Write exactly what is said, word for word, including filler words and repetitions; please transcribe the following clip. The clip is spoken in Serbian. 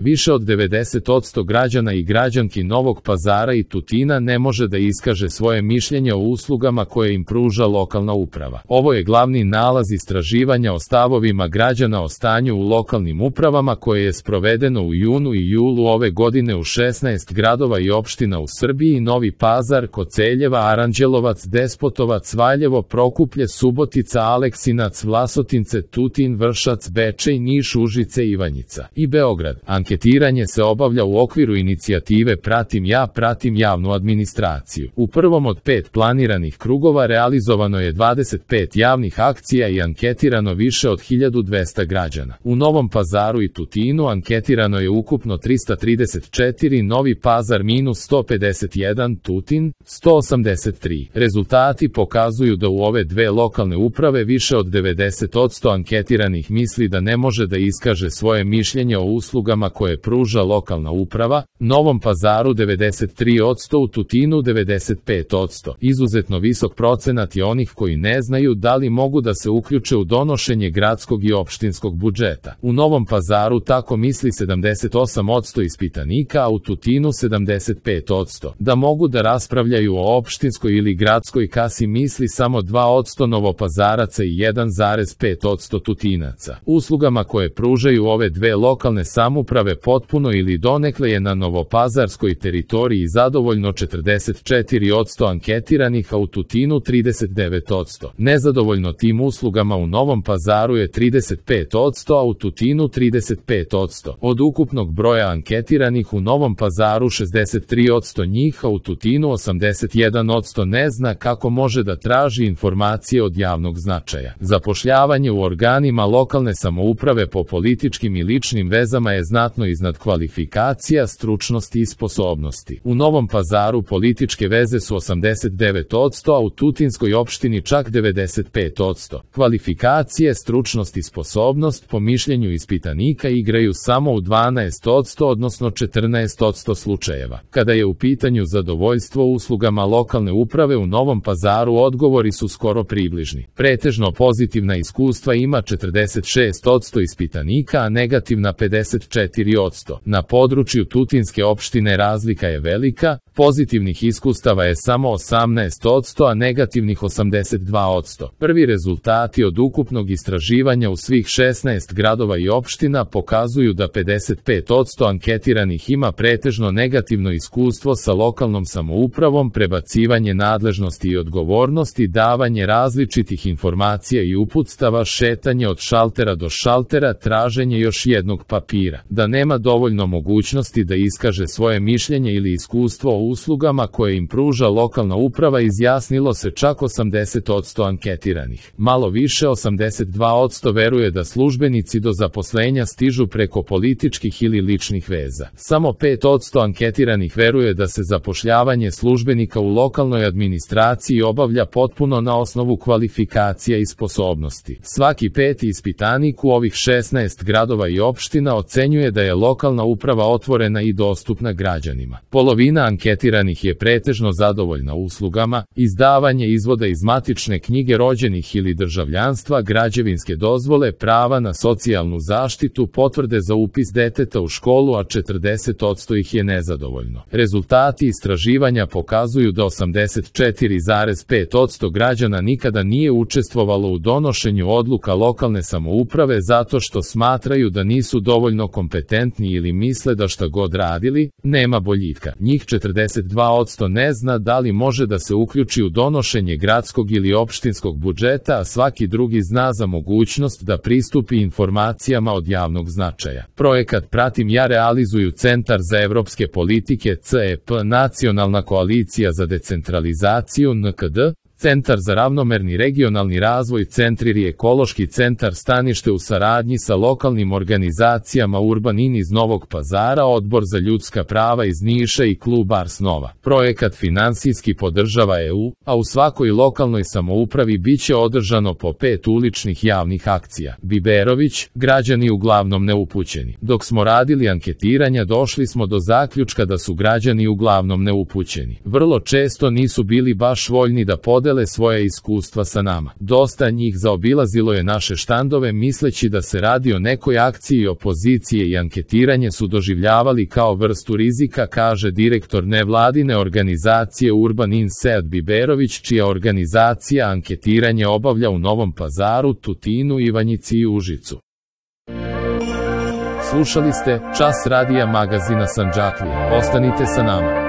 Više od devedeset posto građana i građanki Novog Pazara i Tutina ne može da iskaže svoje mišljenje o uslugama koje im pruža lokalna uprava. Ovo je glavni nalaz istraživanja o stavovima građana o stanju u lokalnim upravama koje je sprovedeno u junu i julu ove godine u šesnaest gradova i opština u Srbiji: Novi Pazar, Koceljeva, Aranđelovac, Despotovac, Valjevo, Prokuplje, Subotica, Aleksinac, Vlasotince, Tutin, Vršac, Bečej, Niš, Užice, Ivanjica i Beograd. Anketiranje se obavlja u okviru inicijative Pratim ja, pratim javnu administraciju. U prvom od pet planiranih krugova realizovano je dvadeset pet javnih akcija i anketirano više od hiljadu dvesta građana. U Novom Pazaru i Tutinu anketirano je ukupno trista trideset četiri, Novi Pazar minus sto pedeset jedan, Tutin sto osamdeset tri. Rezultati pokazuju da u ove dve lokalne uprave više od devedeset posto anketiranih misli da ne može da iskaže svoje mišljenje o uslugama koje pruža lokalna uprava, Novom Pazaru devedeset tri posto, u Tutinu devedeset pet posto. Izuzetno visok procenat je onih koji ne znaju da li mogu da se uključe u donošenje gradskog i opštinskog budžeta. U Novom Pazaru tako misli sedamdeset osam posto ispitanika, a u Tutinu sedamdeset pet posto. Da mogu da raspravljaju o opštinskoj ili gradskoj kasi misli samo dva posto Novopazaraca i jedan zarez pet posto Tutinaca. Uslugama koje pružaju ove dve lokalne samouprave potpuno ili donekle je na novopazarskoj teritoriji zadovoljno četrdeset četiri posto anketiranih, a u Tutinu trideset devet posto. Nezadovoljno tim uslugama u Novom Pazaru je trideset pet posto, a u Tutinu trideset pet posto. Od ukupnog broja anketiranih u Novom Pazaru šezdeset tri posto njih, a u Tutinu osamdeset jedan posto ne zna kako može da traži informacije od javnog značaja. Zapošljavanje u organima lokalne samouprave po političkim i ličnim vezama je znatno iznad kvalifikacija, stručnosti i sposobnosti. U Novom Pazaru političke veze su osamdeset devet posto, a u Tutinskoj opštini čak devedeset pet posto. Kvalifikacije, stručnost i sposobnost po mišljenju ispitanika igraju samo u dvanaest posto, odnosno četrnaest posto slučajeva. Kada je u pitanju zadovoljstvo uslugama lokalne uprave u Novom Pazaru, odgovori su skoro približni. Pretežno pozitivna iskustva ima četrdeset šest posto ispitanika, a negativna pedeset četiri posto. Na području Tutinske opštine razlika je velika, pozitivnih iskustava je samo osamnaest posto, a negativnih osamdeset dva posto. Prvi rezultati od ukupnog istraživanja u svih šesnaest gradova i opština pokazuju da pedeset pet posto anketiranih ima pretežno negativno iskustvo sa lokalnom samoupravom, prebacivanje nadležnosti i odgovornosti, davanje različitih informacija i uputstava, šetanje od šaltera do šaltera, traženje još jednog papira. Da nema dovoljno mogućnosti da iskaže svoje mišljenje ili iskustvo o uslugama koje im pruža lokalna uprava izjasnilo se čak osamdeset posto anketiranih. Malo više, osamdeset dva posto veruje da službenici do zaposlenja stižu preko političkih ili ličnih veza. Samo pet posto anketiranih veruje da se zapošljavanje službenika u lokalnoj administraciji obavlja potpuno na osnovu kvalifikacija i sposobnosti. Svaki peti ispitanik u ovih šesnaest gradova i opština ocenjuje da je lokalna uprava otvorena i dostupna građanima. Polovina anketiranih je pretežno zadovoljna uslugama: izdavanje izvoda iz matične knjige rođenih ili državljanstva, građevinske dozvole, prava na socijalnu zaštitu, potvrde za upis deteta u školu, a četrdeset posto ih je nezadovoljno. Rezultati istraživanja pokazuju da osamdeset četiri zarez pet posto građana nikada nije učestvovalo u donošenju odluka lokalne samouprave zato što smatraju da nisu dovoljno kompetentni ili misle da šta god radili, nema boljitka. Njih četrdeset dva posto ne zna da li može da se uključi u donošenje gradskog ili opštinskog budžeta, a svaki drugi zna za mogućnost da pristupi informacijama od javnog značaja. Projekat Pratim ja realizuju Centar za evropske politike C E P, Nacionalna koalicija za decentralizaciju N K D, Centar za ravnomerni regionalni razvoj, Centriri ekološki centar Stanište u saradnji sa lokalnim organizacijama Urban In iz Novog Pazara, Odbor za ljudska prava iz Niša i Klub Ars Nova. Projekat finansijski podržava E U, a u svakoj lokalnoj samoupravi biće održano po pet uličnih javnih akcija. Biberović, građani uglavnom neupućeni. Dok smo radili anketiranja, došli smo do zaključka da su građani uglavnom neupućeni. Vrlo često nisu bili baš voljni da podele podele svoje iskustva sa nama. Dosta njih zaobilazilo je naše štandove misleći da se radi o nekoj akciji opozicije i anketiranje su doživljavali kao vrstu rizika, kaže direktor nevladine organizacije Urban In Sead Biberović, čija organizacija anketiranje obavlja u Novom Pazaru, Tutinu, Ivanjici i Užicu. Slušali ste Čas radija magazina Sandžaklija. Ostanite sa nama.